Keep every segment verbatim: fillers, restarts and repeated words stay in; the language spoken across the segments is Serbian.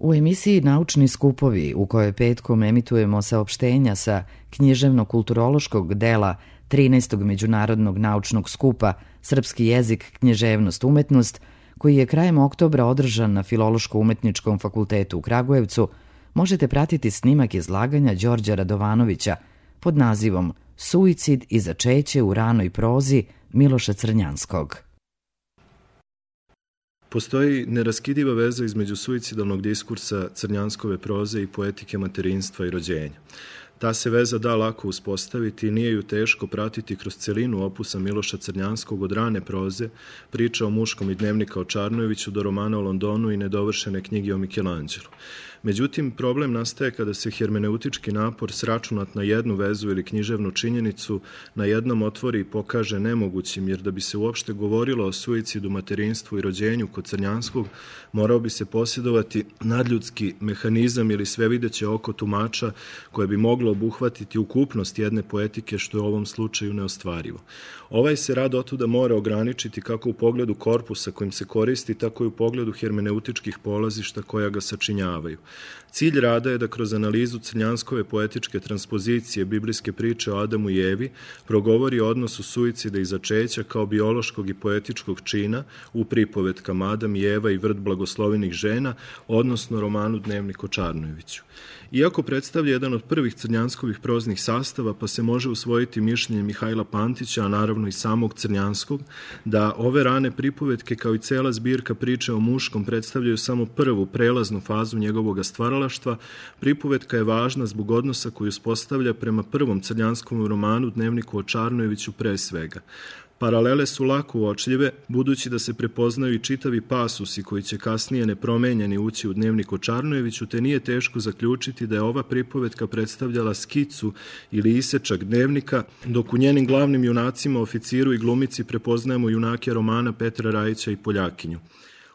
U emisiji Naučni skupovi, u kojoj petkom emitujemo saopštenja sa književno-kulturološkog dela trinaestog međunarodnog naučnog skupa Srpski jezik, književnost, umetnost, koji je krajem oktobra održan na Filološko-umetničkom fakultetu u Kragujevcu, možete pratiti snimak izlaganja Đorđa Radovanovića pod nazivom Suicid i začeće u ranoj prozi Miloša Crnjanskog. Postoji neraskidiva veza između suicidalnog diskursa Crnjanskove proze i poetike materinstva i rođenja. Ta se veza da lako uspostaviti i nije ju teško pratiti kroz celinu opusa Miloša Crnjanskog od rane proze, priča o muškom i dnevnika o Čarnojeviću do romana o Londonu i nedovršene knjige o Michelangelu. Međutim, problem nastaje kada se hermeneutički napor sračunat na jednu vezu ili književnu činjenicu na jednom otvori i pokaže nemogućim, jer da bi se uopšte govorilo o suicidu, materinstvu i rođenju kod Crnjanskog, morao bi se posjedovati nadljudski mehanizam ili svevideće oko tumača koje bi moglo obuhvatiti ukupnost jedne poetike, što je u ovom slučaju neostvarivo. Ovaj se rad otuda mora ograničiti kako u pogledu korpusa kojim se koristi, tako i u pogledu hermeneutičkih polazišta koja ga sačinjavaju. Cilj rada je da kroz analizu Crnjanskove poetičke transpozicije biblijske priče o Adamu i Evi progovori o odnosu suicida i začeća kao biološkog i poetičkog čina u pripovetkama Adam i Eva i vrt blagoslovenih žena, odnosno romanu Dnevnik o Čarnojeviću. Iako predstavlja jedan od prvih Crnjanskovih proznih sastava, pa se može usvojiti mišljenje Mihajla Pantića, a naravno i samog Crnjanskog, da ove rane pripovetke kao i cela zbirka priče o muškom predstavljaju samo prvu prelaznu fazu njegovog stvaralaštva, pripovetka je važna zbog odnosa koju uspostavlja prema prvom Crnjanskom romanu Dnevniku o Čarnojeviću pre svega. Paralele su lako uočljive, budući da se prepoznaju i čitavi pasusi koji će kasnije nepromenjeni ući u Dnevnik o Čarnojeviću, te nije teško zaključiti da je ova pripovetka predstavljala skicu ili isečak dnevnika, dok u njenim glavnim junacima, oficiru i glumici prepoznajemo junake romana Petra Rajića i Poljakinju.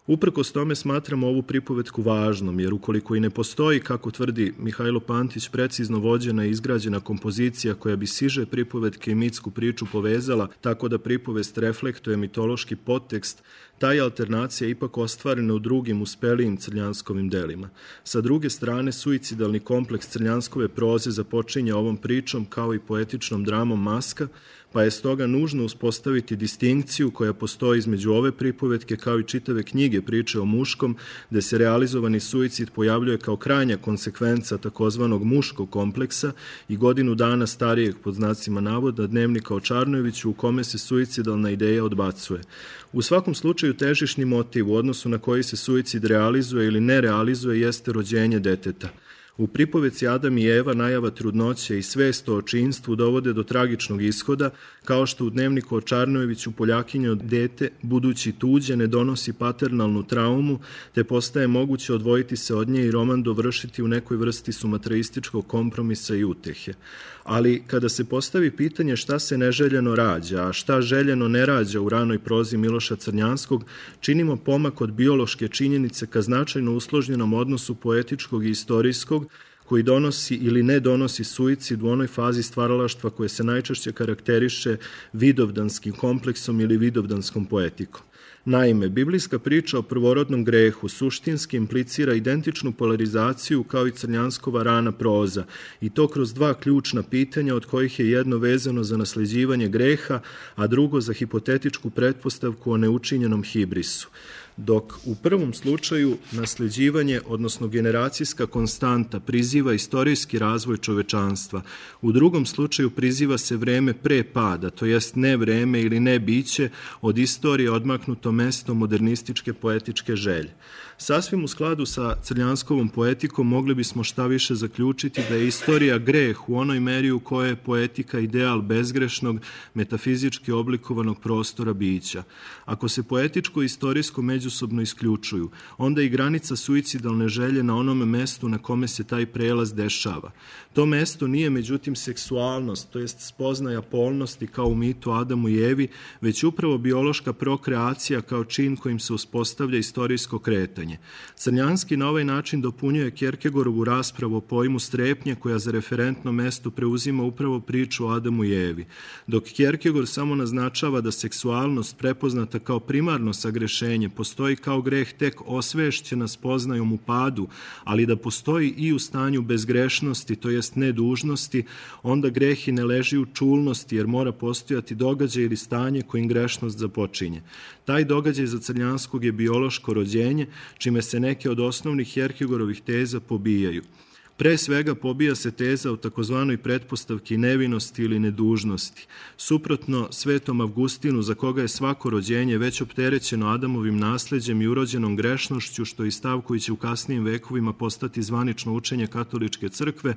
Uprkos tome smatramo ovu pripovetku važnom, jer ukoliko i ne postoji, kako tvrdi Mihajlo Pantić, precizno vođena i izgrađena kompozicija koja bi siže pripovetke i mitsku priču povezala tako da pripovest reflektuje mitološki podtekst, ta je alternacija ipak ostvarena u drugim uspelijim Crnjanskovim delima. Sa druge strane, suicidalni kompleks Crnjanskove proze započinje ovom pričom kao i poetičnom dramom Maska, pa je stoga nužno uspostaviti distinkciju koja postoji između ove pripovetke kao i čitave knjige priče o muškom, gde se realizovani suicid pojavljuje kao krajnja konsekvenca takozvanog muškog kompleksa i godinu dana starijeg, pod znacima navoda, Dnevnika o Čarnojeviću u kome se suicidalna ideja odbacuje. U svakom slučaju težišni motiv u odnosu na koji se suicid realizuje ili ne realizuje jeste rođenje deteta. U pripovetci Adam i Eva najava trudnoće i svest o očinstvu dovode do tragičnog ishoda, kao što u Dnevniku o Čarnojeviću Poljakinje od dete, budući tuđe, ne donosi paternalnu traumu, te postaje moguće odvojiti se od nje i roman dovršiti u nekoj vrsti sumatraističkog kompromisa i utehe. Ali kada se postavi pitanje šta se neželjeno rađa, a šta željeno ne rađa u ranoj prozi Miloša Crnjanskog, činimo pomak od biološke činjenice ka značajno usložnjenom odnosu poetičkog i istorijskog, koji donosi ili ne donosi suicid u onoj fazi stvaralaštva koje se najčešće karakteriše vidovdanskim kompleksom ili vidovdanskom poetikom. Naime, biblijska priča o prvorodnom grehu suštinski implicira identičnu polarizaciju kao i Crnjanskova rana proza, i to kroz dva ključna pitanja, od kojih je jedno vezano za nasleđivanje greha, a drugo za hipotetičku pretpostavku o neučinjenom hibrisu. Dok u prvom slučaju nasleđivanje, odnosno generacijska konstanta, priziva istorijski razvoj čovečanstva, u drugom slučaju priziva se vreme pre pada, to jest ne vreme ili ne biće, od istorije odmaknuto mesto modernističke poetičke želje. Sasvim u skladu sa Crnjanskovom poetikom mogli bismo šta više zaključiti da je istorija greh u onoj meri u kojoj je poetika ideal bezgrešnog, metafizički oblikovanog prostora bića. Ako se poetičko i istorijsko međusobno isključuju, onda i granica suicidalne želje na onome mestu na kome se taj prelaz dešava. To mesto nije međutim seksualnost, to jest spoznaja polnosti kao u mitu Adamu i Evi, već upravo biološka prokreacija kao čin kojim se uspostavlja istorijsko kretanje. Crnjanski na ovaj način dopunjuje Kjerkegorovu raspravu o pojmu strepnje koja za referentno mesto preuzima upravo priču o Adamu i Evi, dok Kjerkegor samo naznačava da seksualnost prepoznata kao primarno sagrešenje postoji postoji kao greh tek osvešćena spoznajom u padu, ali da postoji i u stanju bezgrešnosti, to jest nedužnosti, onda greh i ne leži u čulnosti, jer mora postojati događaj ili stanje kojim grešnost započinje. Taj događaj za Crnjanskog je biološko rođenje, čime se neke od osnovnih Kjerkegorovih teza pobijaju. Pre svega pobija se teza o takozvanoj pretpostavki nevinosti ili nedužnosti. Suprotno Svetom Avgustinu, za koga je svako rođenje već opterećeno Adamovim nasleđem i urođenom grešnošću, što je stav koji će u kasnijim vekovima postati zvanično učenje katoličke crkve,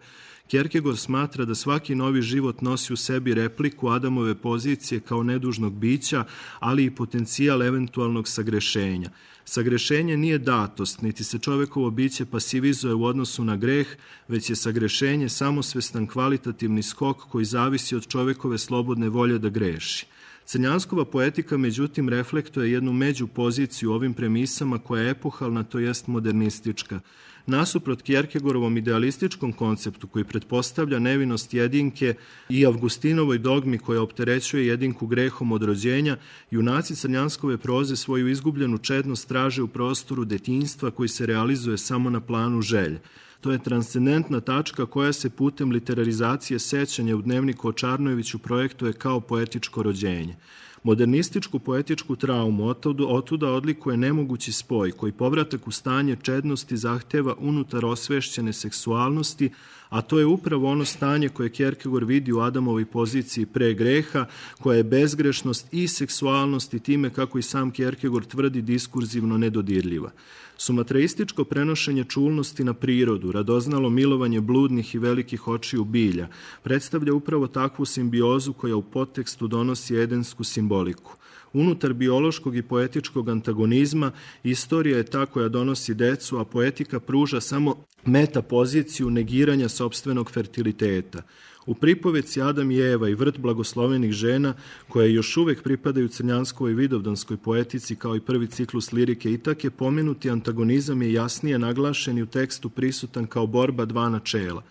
Kjerkegor smatra da svaki novi život nosi u sebi repliku Adamove pozicije kao nedužnog bića, ali i potencijal eventualnog sagrešenja. Sagrešenje nije datost, niti se čovekovo biće pasivizuje u odnosu na greh, već je sagrešenje samosvestan kvalitativni skok koji zavisi od čovekove slobodne volje da greši. Crnjanskova poetika, međutim, reflektuje jednu među poziciju ovim premisama koja je epohalna, to jest modernistička. Nasuprot Kjerkegorovom idealističkom konceptu koji pretpostavlja nevinost jedinke i Avgustinovoj dogmi koja opterećuje jedinku grehom od rođenja, junaci Crnjanskove proze svoju izgubljenu čednost traže u prostoru detinjstva koji se realizuje samo na planu želje. To je transcendentna tačka koja se putem literarizacije sećanja u dnevniku o Čarnojeviću projektuje kao poetičko rođenje. Modernističku poetičku traumu otuda odlikuje nemogući spoj koji povratak u stanje čednosti zahteva unutar osvešćene seksualnosti, a to je upravo ono stanje koje Kjerkegor vidi u Adamovoj poziciji pre greha, koja je bezgrešnost i seksualnost i time, kako i sam Kjerkegor tvrdi, diskurzivno nedodirljiva. Sumatraističko prenošenje čulnosti na prirodu, radoznalo milovanje bludnih i velikih očiju bilja, predstavlja upravo takvu simbiozu koja u podtekstu donosi edensku simboliku. Unutar biološkog i poetičkog antagonizma istorija je ta koja donosi decu, a poetika pruža samo metapoziciju negiranja sopstvenog fertiliteta. U pripoveci Adam i Eva i vrt blagoslovenih žena, koje još uvek pripadaju Crnjanskovoj vidovdanskoj poetici kao i prvi ciklus lirike Itake, pomenuti antagonizam je jasnije naglašen i u tekstu prisutan kao borba dva načela.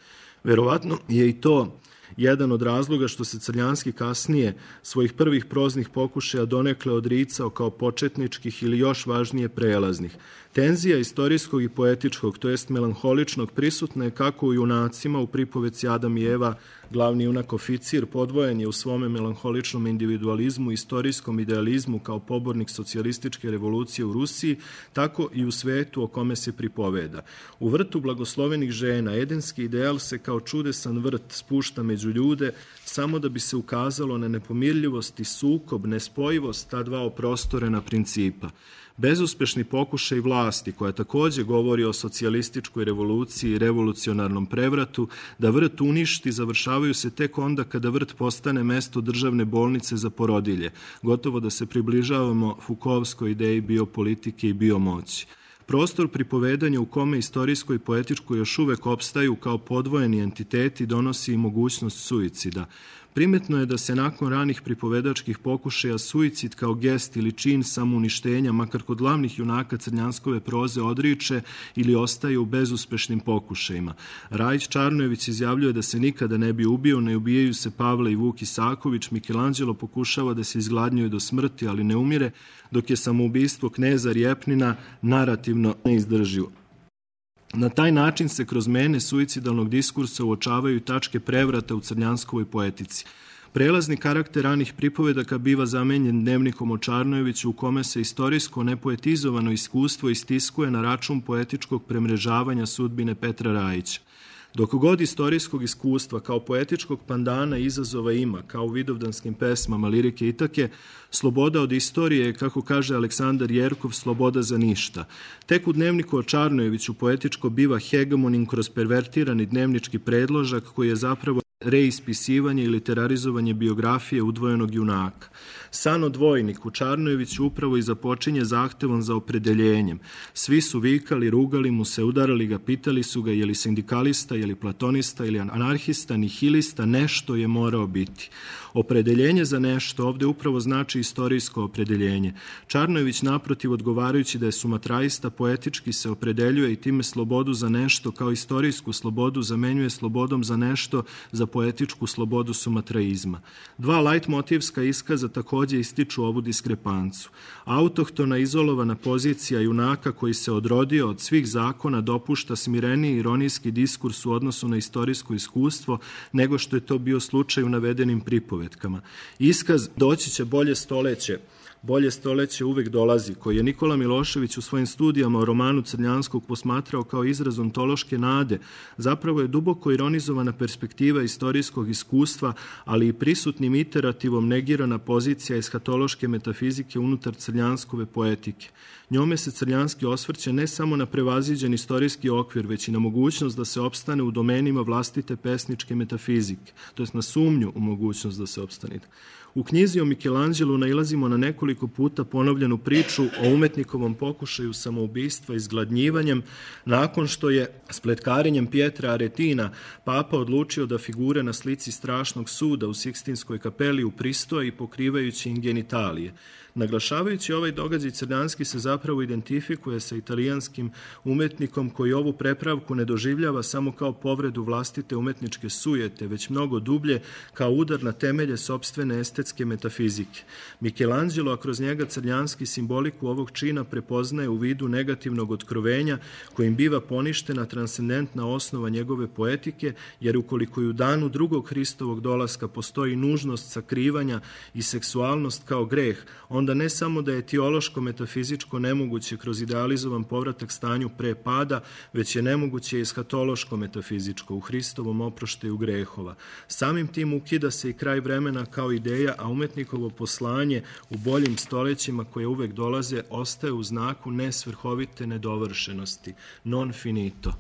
Verovatno je i to jedan od razloga što se Crnjanski kasnije svojih prvih proznih pokušaja donekle odricao kao početničkih ili još važnije prelaznih. Tenzija istorijskog i poetičkog, to jest melanholičnog, prisutna je kako u junacima u pripoveci Adam i Eva. Glavni junak oficir podvojen je u svome melanholičnom individualizmu i istorijskom idealizmu kao pobornik socijalističke revolucije u Rusiji, tako i u svetu o kome se pripoveda. U vrtu blagoslovenih žena edenski ideal se kao čudesan vrt spušta među ljude samo da bi se ukazalo na nepomirljivost i sukob, nespojivost ta dva oprostorena principa. Bezuspešni pokušaj vlasti, koja takođe govori o socijalističkoj revoluciji i revolucionarnom prevratu, da vrt uništi, završavaju se tek onda kada vrt postane mesto državne bolnice za porodilje, gotovo da se približavamo Foucaultskoj ideji biopolitike i biomoći. Prostor pripovedanja u kome istorijsko i poetičko još uvek opstaju kao podvojeni entiteti donosi i mogućnost suicida. Primetno je da se nakon ranih pripovedačkih pokušaja suicid kao gest ili čin samouništenja, makar kod glavnih junaka Crnjanskove proze, odriče ili ostaje u bezuspešnim pokušajima. Rajić Čarnojević izjavljuje da se nikada ne bi ubio, ne ubijaju se Pavle i Vuk Isaković, Michelangelo pokušava da se izgladnjuje do smrti, ali ne umire, dok je samoubistvo kneza Rjepnina narativno neizdrživo. Na taj način se kroz mene suicidalnog diskursa uočavaju tačke prevrata u Crnjanskovoj poetici. Prelazni karakter ranih pripovedaka biva zamenjen dnevnikom o Čarnojeviću u kome se istorijsko nepoetizovano iskustvo istiskuje na račun poetičkog premrežavanja sudbine Petra Rajića. Dok god istorijskog iskustva kao poetičkog pandana izazova ima, kao u vidovdanskim pesmama lirike Itake, sloboda od istorije je, kako kaže Aleksandar Jerkov, sloboda za ništa. Tek u dnevniku o Čarnojeviću poetičko biva hegemonim kroz pervertirani dnevnički predložak koji je zapravo reispisivanje i literarizovanje biografije udvojenog junaka. San o dvojniku Čarnojević upravo i započinje zahtevom za opredeljenjem. Svi su vikali, rugali mu se, udarali ga, pitali su ga je li sindikalista, je li platonista ili anarhista, nihilista, nešto je morao biti. Opredeljenje za nešto ovde upravo znači istorijsko opredeljenje. Čarnojević, naprotiv, odgovarajući da je sumatraista, poetički se opredeljuje i time slobodu za nešto kao istorijsku slobodu zamenjuje slobodom za nešto za poetičku slobodu sumatraizma. Dva lajtmotivska iskaza takođe ističu ovu diskrepancu. Autohtona izolovana pozicija junaka koji se odrodio od svih zakona dopušta smireniji ironijski diskurs u odnosu na istorijsko iskustvo nego što je to bio slučaj u navedenim pripovetkama. Iskaz doći će bolje stoleće, bolje stoleće uvek dolazi, koji je Nikola Milošević u svojim studijama o romanu Crnjanskog posmatrao kao izraz ontološke nade, zapravo je duboko ironizovana perspektiva istorijskog iskustva, ali i prisutnim iterativom negirana pozicija eshatološke metafizike unutar crnjanskove poetike. Njome se Crnjanski osvrće ne samo na prevaziđen istorijski okvir, već i na mogućnost da se opstane u domenima vlastite pesničke metafizike, to jest na sumnju u mogućnost da se opstane. U knjizi o Michelangelu nailazimo na nekoliko puta ponovljenu priču o umetnikovom pokušaju samoubistva izgladnjivanjem nakon što je spletkarenjem Pietra Aretina papa odlučio da figure na slici strašnog suda u Sikstinskoj kapeli upristoje i pokrivajući im genitalije. Naglašavajući ovaj događaj, Crnjanski se zapravo identifikuje sa italijanskim umetnikom koji ovu prepravku ne doživljava samo kao povredu vlastite umetničke sujete, već mnogo dublje kao udar na temelje sopstvene estetske metafizike. Michelangelo, a kroz njega Crnjanski, simboliku ovog čina prepoznaje u vidu negativnog otkrovenja kojim biva poništena transcendentna osnova njegove poetike, jer ukoliko i u danu drugog Hristovog dolaska postoji nužnost sakrivanja i seksualnost kao greh, onda ne samo da je etiološko-metafizičko nemoguće kroz idealizovan povratak stanju pre pada, već je nemoguće i eshatološko-metafizičko u Hristovom oproštaju grehova. Samim tim ukida se i kraj vremena kao ideja, a umetnikovo poslanje u boljim stolećima koje uvek dolaze ostaje u znaku nesvrhovite nedovršenosti, non finito.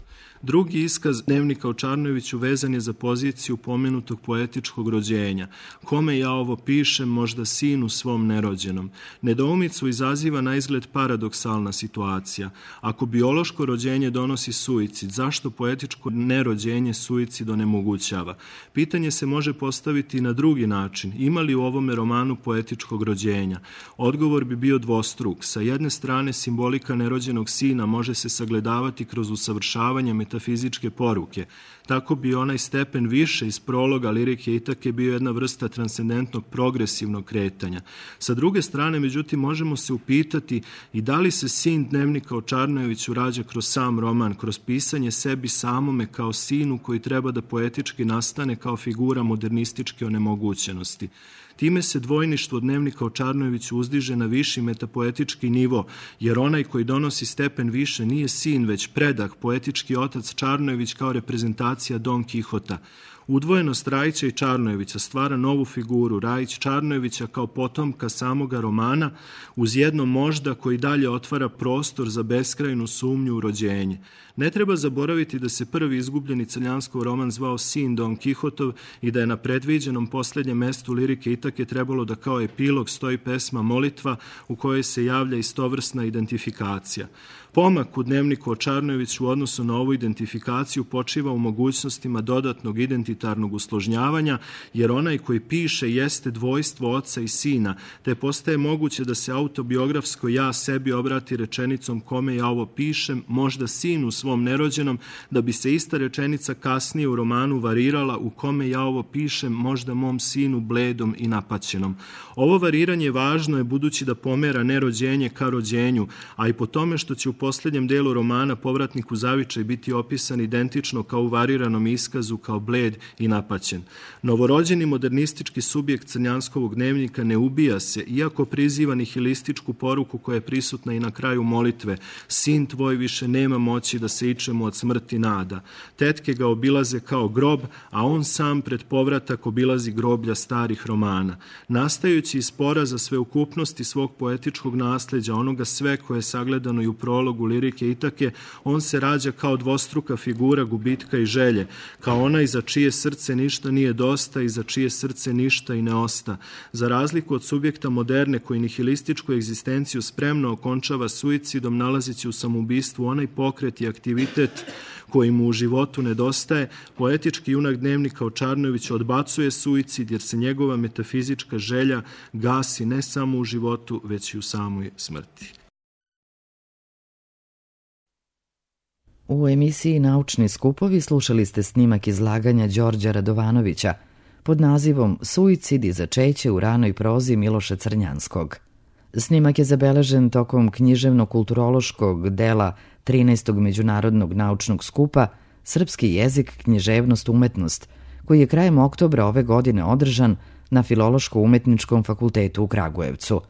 Drugi iskaz dnevnika o Čarnojeviću vezan je za poziciju pomenutog poetičkog rođenja. Kome ja ovo pišem, možda sinu svom nerođenom. Nedoumicu izaziva na izgled paradoksalna situacija. Ako biološko rođenje donosi suicid, zašto poetičko nerođenje suicid onemogućava? Pitanje se može postaviti na drugi način. Ima li u ovome romanu poetičkog rođenja? Odgovor bi bio dvostruk. Sa jedne strane, simbolika nerođenog sina može se sagledavati kroz usavršavanje metafizičke poruke. Tako bi onaj stepen više iz prologa lirike Itake bio jedna vrsta transcendentnog progresivnog kretanja. Sa druge strane, međutim, možemo se upitati i da li se sin dnevnika o Čarnojeviću rađa kroz sam roman, kroz pisanje sebi samome kao sinu koji treba da poetički nastane kao figura modernističke onemogućenosti. Time se dvojništvo dnevnika o Čarnojeviću uzdiže na viši metapoetički nivo, jer onaj koji donosi stepen više nije sin, već predah, poetički otac Čarnojević kao reprezentacija Don Kihota. Udvojenost Rajića i Čarnojevića stvara novu figuru Rajić Čarnojevića kao potomka samoga romana uz jedno možda koji dalje otvara prostor za beskrajnu sumnju u rođenje. Ne treba zaboraviti da se prvi izgubljeni Crnjanskov roman zvao Sin Don Kihotov i da je na predviđenom posljednjem mestu lirike Itake trebalo da kao epilog stoji pesma Molitva u kojoj se javlja istovrsna identifikacija. Pomak u dnevniku o Čarnojeviću u odnosu na ovu identifikaciju počiva u mogućnostima dodatnog identitarnog usložnjavanja, jer onaj koji piše jeste dvojstvo oca i sina, te postaje moguće da se autobiografsko ja sebi obrati rečenicom kome ja ovo pišem, možda sinu svom nerođenom, da bi se ista rečenica kasnije u romanu varirala u kome ja ovo pišem, možda mom sinu bledom i napaćenom. Ovo variranje važno je budući da pomera nerođenje ka rođenju, a i po tome što će u posljednjem delu romana povratnik u zavičaj biti opisan identično kao u variranom iskazu, kao bled i napaćen. Novorođeni modernistički subjekt Crnjanskovog dnevnika ne ubija se, iako priziva nihilističku poruku koja je prisutna i na kraju molitve. Sin tvoj više nema moći da se ičemu od smrti nada. Tetke ga obilaze kao grob, a on sam pred povratak obilazi groblja starih romana. Nastajući iz spora za sveukupnosti svog poetičkog nasleđa, onoga sve koje je sagledano i u prologu ulogu lirike Itake, on se rađa kao dvostruka figura gubitka i želje, kao onaj za čije srce ništa nije dosta i za čije srce ništa i ne osta. Za razliku od subjekta moderne koji nihilističku egzistenciju spremno okončava suicidom, nalazići u samoubistvu onaj pokret i aktivitet koji mu u životu nedostaje, poetički junak dnevnika Očarnović odbacuje suicid jer se njegova metafizička želja gasi ne samo u životu, već i u samoj smrti. U emisiji Naučni skupovi slušali ste snimak izlaganja Đorđa Radovanovića pod nazivom Suicid i začeće u ranoj prozi Miloša Crnjanskog. Snimak je zabeležen tokom književno-kulturološkog dela trinaestog međunarodnog naučnog skupa Srpski jezik, književnost, umetnost, koji je krajem oktobra ove godine održan na Filološko-umetničkom fakultetu u Kragujevcu.